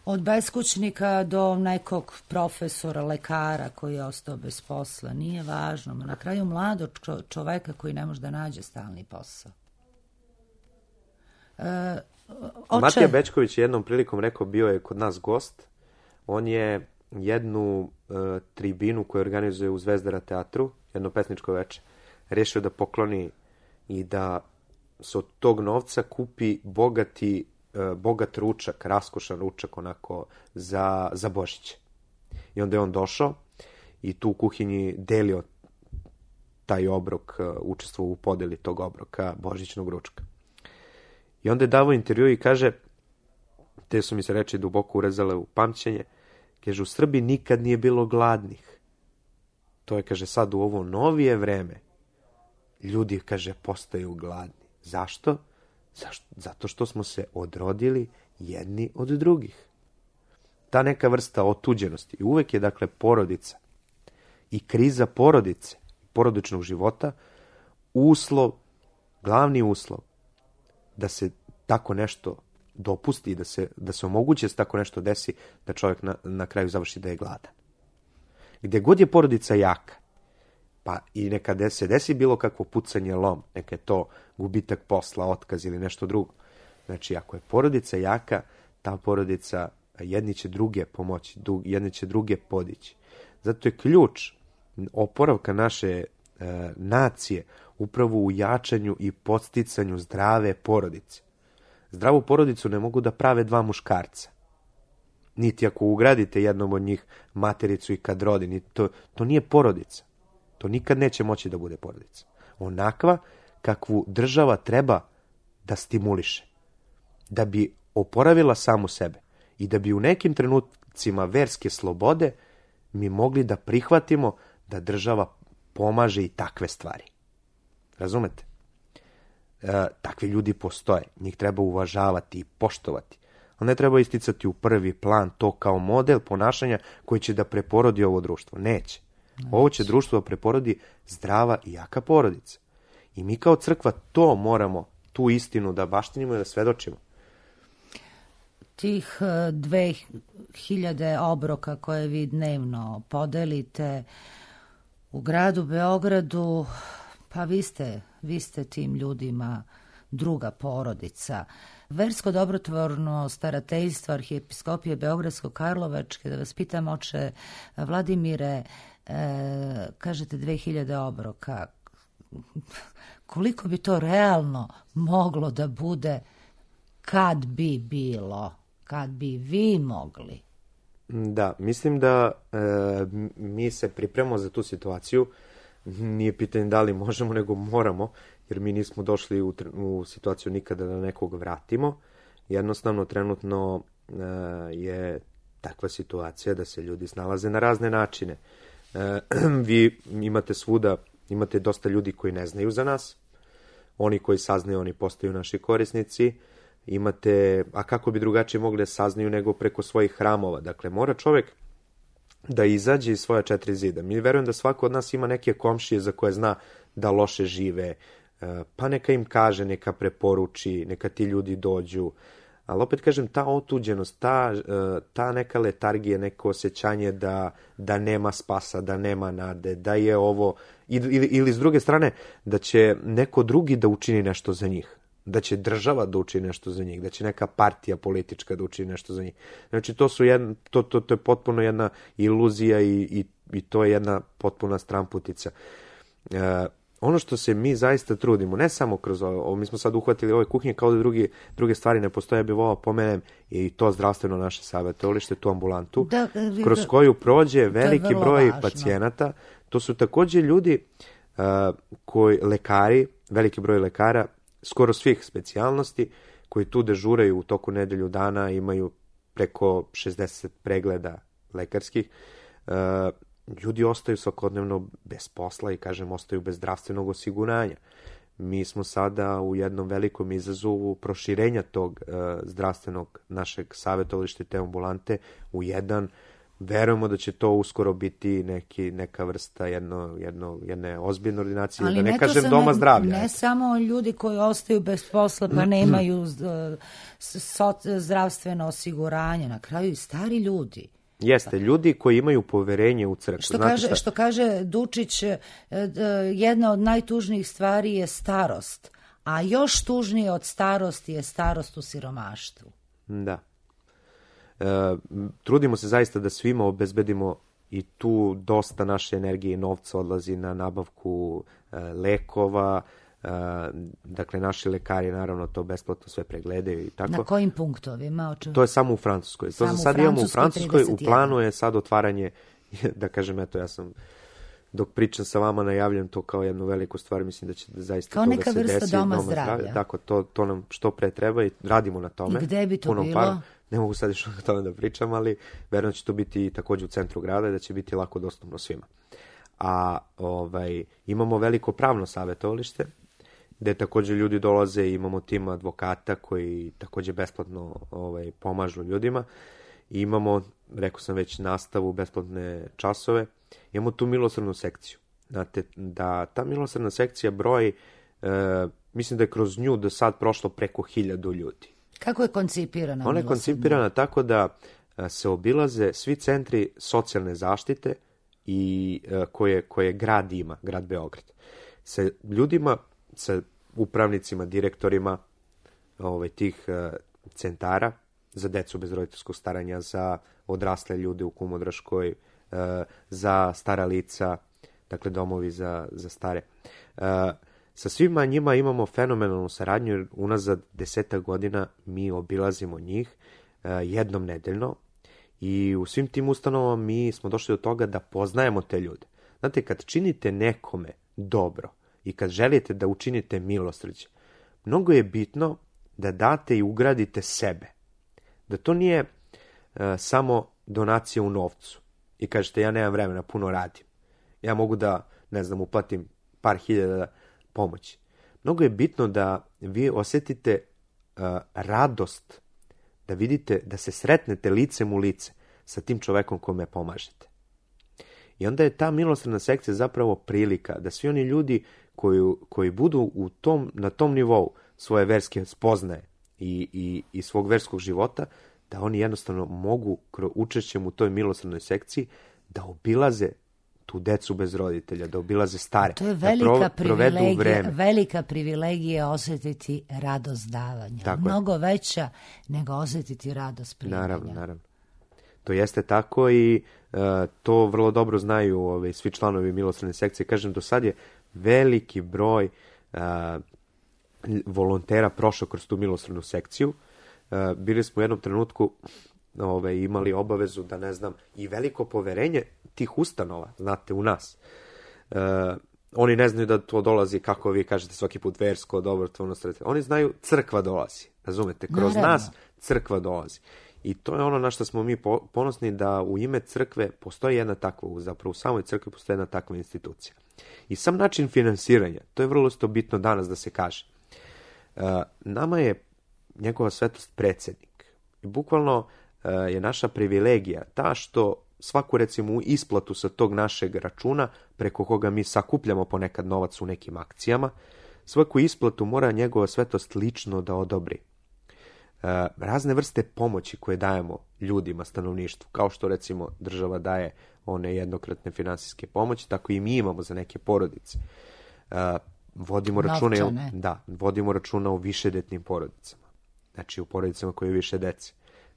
Od beskućnika do nekog profesora, lekara koji je ostao bez posla, nije važno. Na kraju mladog čoveka koji ne može da nađe stalni posao. Matija Bećković je jednom prilikom rekao, bio je kod nas gost, on je jednu tribinu koju organizuje u Zvezdara teatru, jedno pesničko veče, rešio da pokloni i da se od tog novca kupi bogat ručak, raskošan ručak onako za Božić. I onda je on došao i tu u kuhinji delio taj obrok, učestvovao u podeli tog obroka božićnog ručka. I onda je davao intervju i kaže, te su mi se reči duboko urezale u pamćenje, kaže, u Srbiji nikad nije bilo gladnih. To je, kaže, sad u ovo novije vreme ljudi, kaže, postaju gladni. Zašto? Zato što smo se odrodili jedni od drugih. Ta neka vrsta otuđenosti. I uvek je, dakle, porodica i kriza porodice, porodičnog života, uslov, glavni uslov da se tako nešto dopusti i da se omogući da se tako nešto desi, da čovjek na kraju završi da je gladan. Gdje god je porodica jaka, pa i neka se desi bilo kakvo pucanje, lom, neka je to gubitak posla, otkaz ili nešto drugo. Znači, ako je porodica jaka, ta porodica jedni će druge pomoći, jedni će druge podići. Zato je ključ oporavka naše nacije upravo u jačanju i podsticanju zdrave porodice. Zdravu porodicu ne mogu da prave dva muškarca. Niti ako ugradite jednom od njih matericu i kad rodi. To nije porodica. To nikad neće moći da bude porodica. Onakva kakvu država treba da stimuliše. Da bi oporavila samu sebe. I da bi u nekim trenucima verske slobode mi mogli da prihvatimo da država pomaže i takve stvari. Razumete? Takvi ljudi postoje. Njih treba uvažavati i poštovati. Ali ne treba isticati u prvi plan to kao model ponašanja koji će da preporodi ovo društvo. Neće. Ovo će društvo da preporodi zdrava i jaka porodica. I mi kao crkva to moramo, tu istinu da baštinimo i da svedočimo. Tih 2000 obroka koje vi dnevno podelite u gradu Beogradu, pa vi ste tim ljudima druga porodica. Versko dobrotvorno starateljstvo Arhijepiskopije Beogradsko-Karlovačke, da vas pitam, oče Vladimire, kažete 2000 obroka, koliko bi to realno moglo da bude kad bi bilo, kad bi vi mogli? Da, mislim da mi se pripremamo za tu situaciju. Nije pitanje da li možemo, nego moramo, jer mi nismo došli u situaciju nikada da nekog vratimo. Jednostavno, trenutno je takva situacija da se ljudi snalaze na razne načine. Vi imate svuda, imate dosta ljudi koji ne znaju za nas. Oni koji saznaju, oni postaju naši korisnici. Imate, a kako bi drugačije mogli da saznaju nego preko svojih hramova. Dakle, mora čovjek da izađe iz svoja 4 zida. Mi verujem da svako od nas ima neke komšije za koje zna da loše žive, pa neka im kaže, neka preporuči, neka ti ljudi dođu. Ali opet kažem, ta otuđenost, ta neka letargija, neko osjećanje da nema spasa, da nema nade, da je ovo, ili s druge strane, da će neko drugi da učini nešto za njih. Da će država da učini nešto za njih, da će neka partija politička da učini nešto za njih. Znači, to je potpuno jedna iluzija i to je jedna potpuna stramputica. Ono što se mi zaista trudimo, ne samo kroz ovo, mi smo sad uhvatili ove kuhinje, kao da druge stvari ne postoje, bi volao pomenem i to zdravstveno naše savjetovalište, tu ambulantu, kroz koju prođe veliki broj pacijenata. To su također ljudi lekari, veliki broj lekara, skoro svih specijalnosti, koji tu dežuraju u toku nedelju dana, imaju preko 60 pregleda lekarskih. Ljudi ostaju svakodnevno bez posla i, kažem, ostaju bez zdravstvenog osiguranja. Mi smo sada u jednom velikom izazovu proširenja tog zdravstvenog našeg savjetovališta te ambulante u jedan. Verujemo da će to uskoro biti neka vrsta jedne ozbiljne ordinacije, ali da ne kažem doma zdravlja. Ne samo ljudi koji ostaju bez posla pa nemaju zdravstveno osiguranje, na kraju i stari ljudi. Jeste, ljudi koji imaju poverenje u crkvu. Što kaže Dučić, jedna od najtužnijih stvari je starost, A još tužnije od starosti je starost u siromaštvu. Da. Trudimo se zaista da svima obezbedimo i tu dosta naše energije i novca odlazi na nabavku lekova. Dakle, naši lekari naravno to besplatno sve pregledaju i tako. Na kojim punktovima? To je samo u Francuskoj. To za sad imamo u Francuskoj. 31. U planu je sad otvaranje, da kažem, eto, ja sam dok pričam sa vama najavljam to kao jednu veliku stvar, mislim da će zaista kao to neka da se desi. vrsta doma zdravlja. Tako, to nam što pre treba i radimo na tome. I gde bi to bilo? Ne mogu sad još o tome da pričam, ali verujem da će to biti takođe u centru grada i da će biti lako dostupno svima. A imamo veliko pravno savjetovalište, gde takođe ljudi dolaze i imamo tim advokata koji takođe besplatno pomažu ljudima. I imamo, rekao sam već, nastavu, besplatne časove. Imamo tu milosrdnu sekciju. Znate, da ta milosrdna sekcija broji, mislim da je kroz nju do sad prošlo preko 1000 ljudi. Kako je koncipirana? Ona je koncipirana tako da se obilaze svi centri socijalne zaštite i koje grad ima, grad Beograd. Sa ljudima, sa upravnicima, direktorima tih centara za decu bez roditeljskog staranja, za odrasle ljude u Kumodraškoj, za stara lica, dakle domovi za stare. Sa svima njima imamo fenomenalnu saradnju, jer unazad 10 godina mi obilazimo njih jednom nedeljno i u svim tim ustanovama mi smo došli do toga da poznajemo te ljude. Znate, kad činite nekome dobro i kad želite da učinite milosrđe, mnogo je bitno da date i ugradite sebe. Da to nije samo donacija u novcu i kažete ja nemam vremena, puno radim. Ja mogu da, uplatim par hiljada pomoći. Mnogo je bitno da vi osjetite radost, da vidite, da se sretnete licem u lice sa tim čovekom kome pomažete. I onda je ta milosrdna sekcija zapravo prilika da svi oni ljudi koji budu na tom nivou svoje verske spoznaje i svog verskog života, da oni jednostavno mogu učešćem u toj milosrdnoj sekciji da obilaze tu decu bez roditelja, da obilaze stare. To je velika privilegija osjetiti radost davanja. Tako mnogo je veća nego osjetiti radost primanja. Naravno. To jeste tako i to vrlo dobro znaju svi članovi milosrdne sekcije. Kažem, do sad je veliki broj volontera prošao kroz tu milosrdnu sekciju. Bili smo u jednom trenutku imali obavezu da, i veliko poverenje tih ustanova, znate, u nas. Oni ne znaju da to dolazi, kako vi kažete svaki put, versko, dobrotvorno sredstvo. Oni znaju, crkva dolazi, razumete? Kroz nas crkva dolazi. I to je ono na što smo mi ponosni, da u ime crkve postoji jedna takva, zapravo u samoj crkvi postoji jedna takva institucija. I sam način finansiranja, to je vrlo bitno danas da se kaže. Nama je njegova svetost predsjednik. I bukvalno je naša privilegija ta što svaku, recimo, isplatu sa tog našeg računa, preko koga mi sakupljamo ponekad novac u nekim akcijama, svaku isplatu mora njegova svetost lično da odobri. Razne vrste pomoći koje dajemo ljudima, stanovništvu, kao što recimo država daje one jednokratne finansijske pomoći, tako i mi imamo za neke porodice. Vodimo računa o višedetnim porodicama. Znači u porodicama koje je više dece.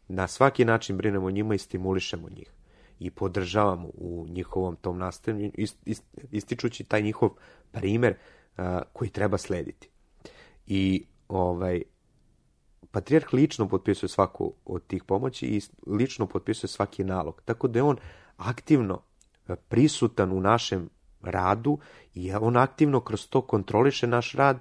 Na svaki način brinemo o njima i stimulišemo njih. I podržavamo u njihovom tom nastavljanju, ističući taj njihov primer koji treba slediti. I patrijarh lično potpisuje svaku od tih pomoći i lično potpisuje svaki nalog. Tako da je on aktivno prisutan u našem radu i on aktivno kroz to kontroliše naš rad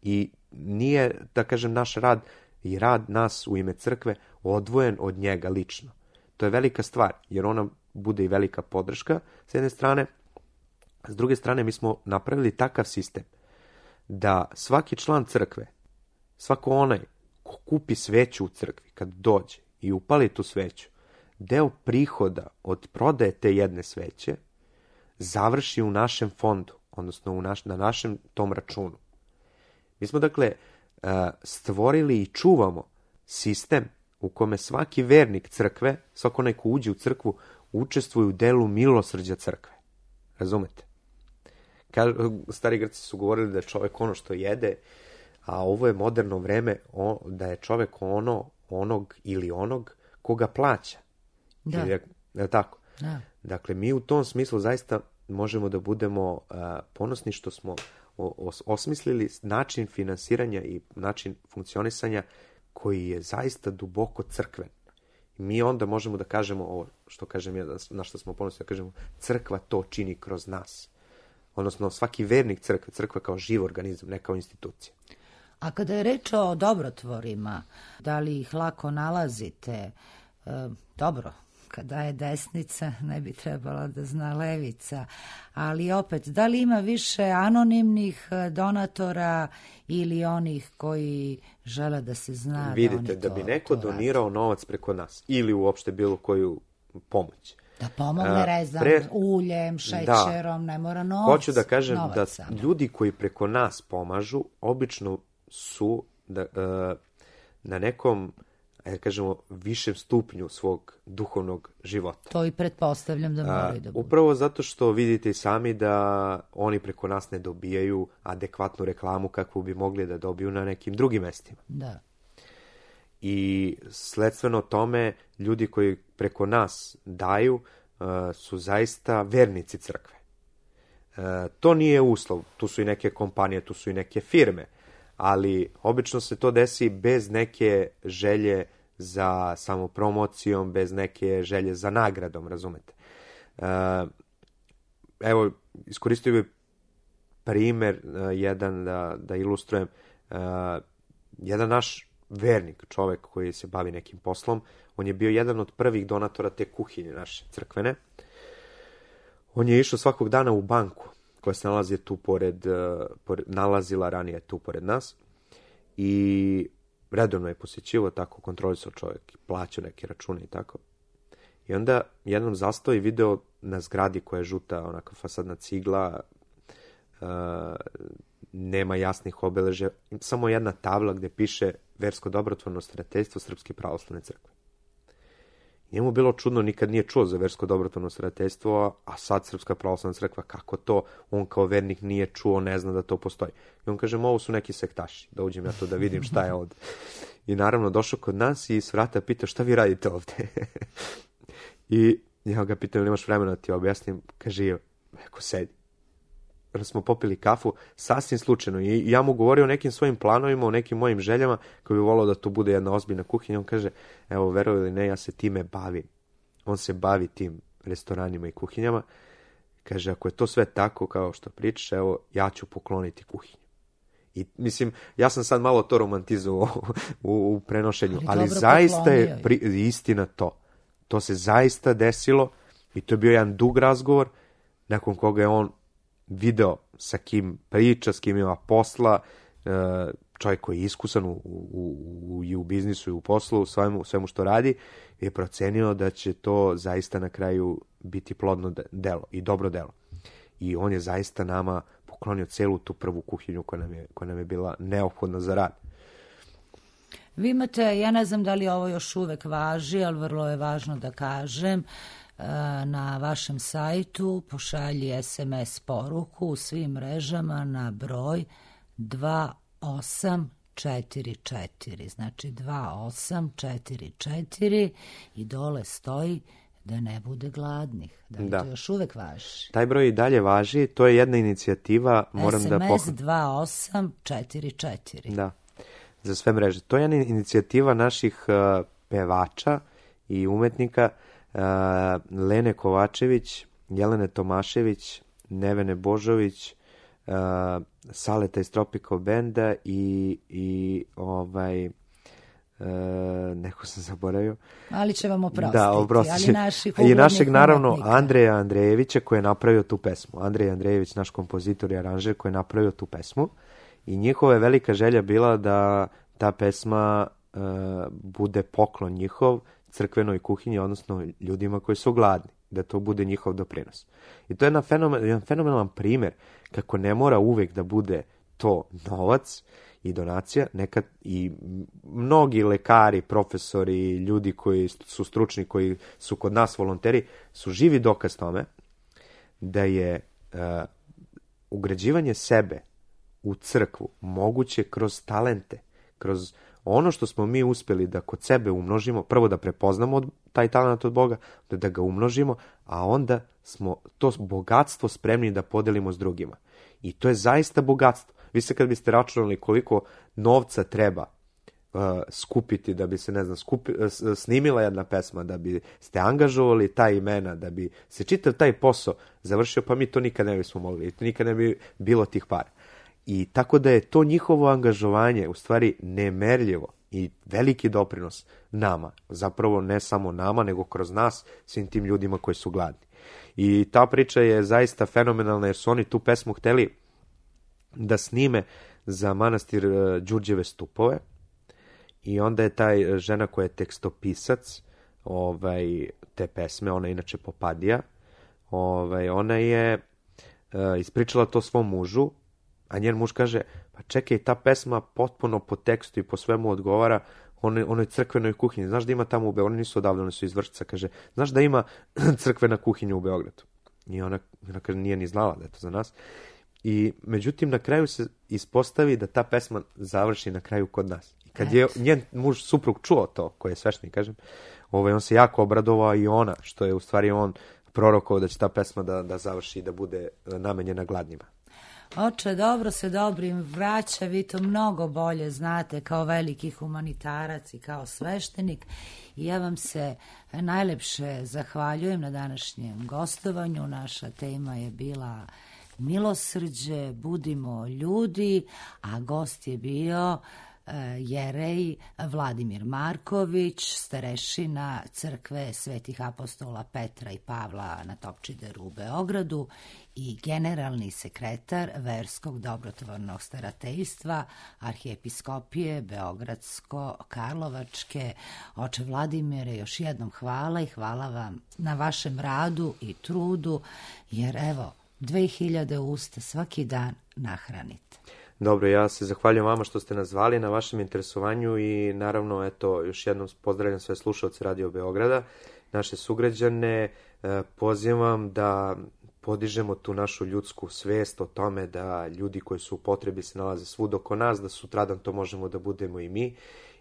i nije, da kažem, naš rad i rad nas u ime crkve odvojen od njega lično. To je velika stvar, jer ona bude i velika podrška s jedne strane. S druge strane, mi smo napravili takav sistem da svaki član crkve, svako onaj ko kupi sveću u crkvi, kad dođe i upali tu sveću, deo prihoda od prodaje te jedne sveće završi u našem fondu, odnosno na našem tom računu. Mi smo, dakle, stvorili i čuvamo sistem u kome svaki vernik crkve, svako onaj ko uđe u crkvu, učestvuje u delu milosrđa crkve. Razumete? Stari Grci su govorili da je čovjek ono što jede, a ovo je moderno vreme da je čovek onog ili onog koga plaća. Da. Je tako? Da. Dakle, mi u tom smislu zaista možemo da budemo ponosni što smo osmislili način finansiranja i način funkcionisanja koji je zaista duboko crkven. I mi onda možemo da kažemo ovo što kažem ja, na što smo ponosni, da kažemo crkva to čini kroz nas. Odnosno svaki vernik crkva kao živ organizam, ne kao institucija. A kada je reč o dobrotvorima, da li ih lako nalazite? Dobro, kada je desnica, ne bi trebala da zna levica, ali opet, da li ima više anonimnih donatora ili onih koji žele da se zna vidite, da oni to da bi neko donirao novac preko nas ili uopšte bilo koju pomoć. Da pomogne rezam, uljem, šećerom, ne mora novac. Hoću da kažem da ljudi koji preko nas pomažu, obično su na nekom, kažemo, višem stupnju svog duhovnog života. To i pretpostavljam da moraju da budu. Upravo zato što vidite i sami da oni preko nas ne dobijaju adekvatnu reklamu kakvu bi mogli da dobiju na nekim drugim mestima. Da. I sledstveno tome, ljudi koji preko nas daju su zaista vernici crkve. To nije uslov, tu su i neke kompanije, tu su i neke firme, ali obično se to desi bez neke želje za samopromocijom, bez neke želje za nagradom, razumete. Evo, iskoristio bih primer jedan da ilustrujem. Jedan naš vernik, čovek koji se bavi nekim poslom, on je bio jedan od prvih donatora te kuhinje naše crkvene. On je išao svakog dana u banku koja se nalazi tu nalazila ranije tu pored nas i redovno je posjećivo, tako kontrolisao čovjek i plaćao neke račune i tako. I onda jednom zastao i video na zgradi koja je žuta, onaka fasadna cigla, nema jasnih obeležja, samo jedna tabla gde piše Versko dobrotvorno starateljstvo Srpske pravoslavne crkve. Njemu bilo čudno, nikad nije čuo za Versko dobrotvorno starateljstvo, a sad Srpska pravoslavna crkva, kako to? On kao vernik nije čuo, ne zna da to postoji. I on kaže, ovo su neki sektaši, da uđem ja to da vidim šta je ovde. I naravno došao kod nas i s vrata pita, šta vi radite ovde? I ja ga pitam, ili imaš vremena da ti objasnim? Kaže, eko sedi. Onda smo popili kafu, sasvim slučajno. I ja mu govorio o nekim svojim planovima, o nekim mojim željama, koji bi volao da to bude jedna ozbiljna kuhinja. On kaže, evo, verovali ili ne, ja se time bavim. On se bavi tim restoranima i kuhinjama. Kaže, ako je to sve tako kao što pričaš, evo, ja ću pokloniti kuhinju. I mislim, ja sam sad malo to romantizovao u prenošenju, ali zaista je istina to. To se zaista desilo i to je bio jedan dug razgovor nakon koga je on video sa kim priča, s kim ima posla, čovjek koji je iskusan i u biznisu i u poslu, svemu što radi, je procenio da će to zaista na kraju biti plodno delo i dobro delo. I on je zaista nama poklonio celu tu prvu kuhinju koja nam je bila neophodna za rad. Vi imate, ja ne znam da li ovo još uvek važi, ali vrlo je važno da kažem, na vašem sajtu pošalji SMS poruku u svim mrežama na broj 2844, znači 2844 i dole stoji da ne bude gladnih. Da li to još uvek važi? Taj broj i dalje važi, to je jedna inicijativa. SMS 2844. Da, za sve mreže. To je jedna inicijativa naših pevača i umetnika, Lene Kovačević, Jelene Tomašević, Nevene Božović, Saleta iz Tropical Benda i neko sam zaboravio. Ali će vam oprostiti. Da, oprostiti. I našeg, naravno, Andreja Andrejevića koji je napravio tu pesmu. Andrej Andrejević, naš kompozitor i aranžer koji je napravio tu pesmu. I njihova je velika želja bila da ta pesma bude poklon njihov crkvenoj kuhinji, odnosno ljudima koji su gladni, da to bude njihov doprinos. I to je jedan fenomenalan primjer kako ne mora uvek da bude to novac i donacija, nekad i mnogi lekari, profesori, ljudi koji su stručni, koji su kod nas volonteri, su živi dokaz tome da je ugrađivanje sebe u crkvu moguće kroz talente, kroz ono što smo mi uspjeli da kod sebe umnožimo, prvo da prepoznamo taj talent od Boga, da ga umnožimo, a onda smo to bogatstvo spremni da podelimo s drugima. I to je zaista bogatstvo. Vi se kad biste računali koliko novca treba skupiti da bi se, ne znam, snimila jedna pesma, da bi ste angažovali ta imena, da bi se čitav taj posao završio, pa mi to nikad ne bismo mogli. Nikad ne bi bilo tih para. I tako da je to njihovo angažovanje u stvari nemerljivo i veliki doprinos nama. Zapravo ne samo nama, nego kroz nas, svim tim ljudima koji su gladni. I ta priča je zaista fenomenalna jer su oni tu pesmu hteli da snime za manastir Đurđeve Stupove. I onda je taj žena koja je tekstopisac te pesme, ona je inače Popadija, ona je ispričala to svom mužu, a njen muž kaže, pa čekaj, ta pesma potpuno po tekstu i po svemu odgovara onoj crkvenoj kuhinji. Znaš da ima tamo u Beogradu, oni nisu odavde, oni su iz Vršca, kaže, znaš da ima crkvena kuhinja u Beogradu? I ona kaže, nije ni znala da je to za nas. I međutim, na kraju se ispostavi da ta pesma završi na kraju kod nas. I kad je njen muž, suprug, čuo to, koji je sveštenik, kažem, on se jako obradovao i ona, što je u stvari on prorokovao da će ta pesma da završi i da bude namenjena gladnima. Oče, dobro se dobrim vraća, vi to mnogo bolje znate kao veliki humanitarac i kao sveštenik. I ja vam se najlepše zahvaljujem na današnjem gostovanju. Naša tema je bila milosrđe, budimo ljudi, a gost je bio jerej Vladimir Marković, starešina crkve Svetih apostola Petra i Pavla na Topčideru u Beogradu i generalni sekretar Verskog dobrotvornog starateljstva Arhijepiskopije Beogradsko-Karlovačke. Oče Vladimire, još jednom hvala i hvala vam na vašem radu i trudu, jer evo, 2000 usta svaki dan nahranite. Dobro, ja se zahvaljujem vama što ste nas zvali, na vašem interesovanju i naravno, eto, još jednom pozdravljam sve slušalce Radio Beograda, naše sugrađane, pozivam da podižemo tu našu ljudsku svest o tome da ljudi koji su u potrebi se nalaze svud oko nas, da sutradan to možemo da budemo i mi.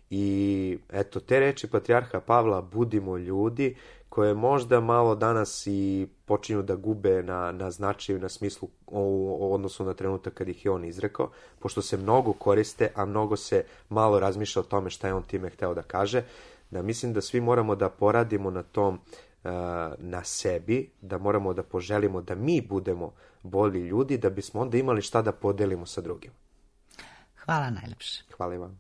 I eto, te reči patrijarha Pavla, budimo ljudi, koje možda malo danas i počinju da gube na značaju, na smislu u odnosu na trenutak kad ih je on izrekao, pošto se mnogo koriste, a mnogo se malo razmišlja o tome šta je on time hteo da kaže, da mislim da svi moramo da poradimo na tom, na sebi, da moramo da poželimo da mi budemo bolji ljudi, da bismo onda imali šta da podelimo sa drugim. Hvala najlepše. Hvala i vam.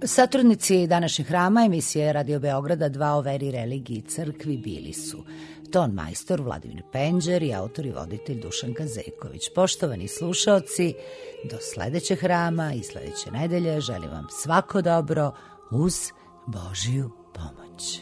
Satrudnici današnjeg hrama emisije Radio Beograda 2 o veri, religiji i crkvi bili su ton majstor Vladimir Penđer i autor i voditelj Dušan Kazejković. Poštovani slušaoci, do sledećeg hrama i sledeće nedelje želim vam svako dobro uz Božiju pomoć.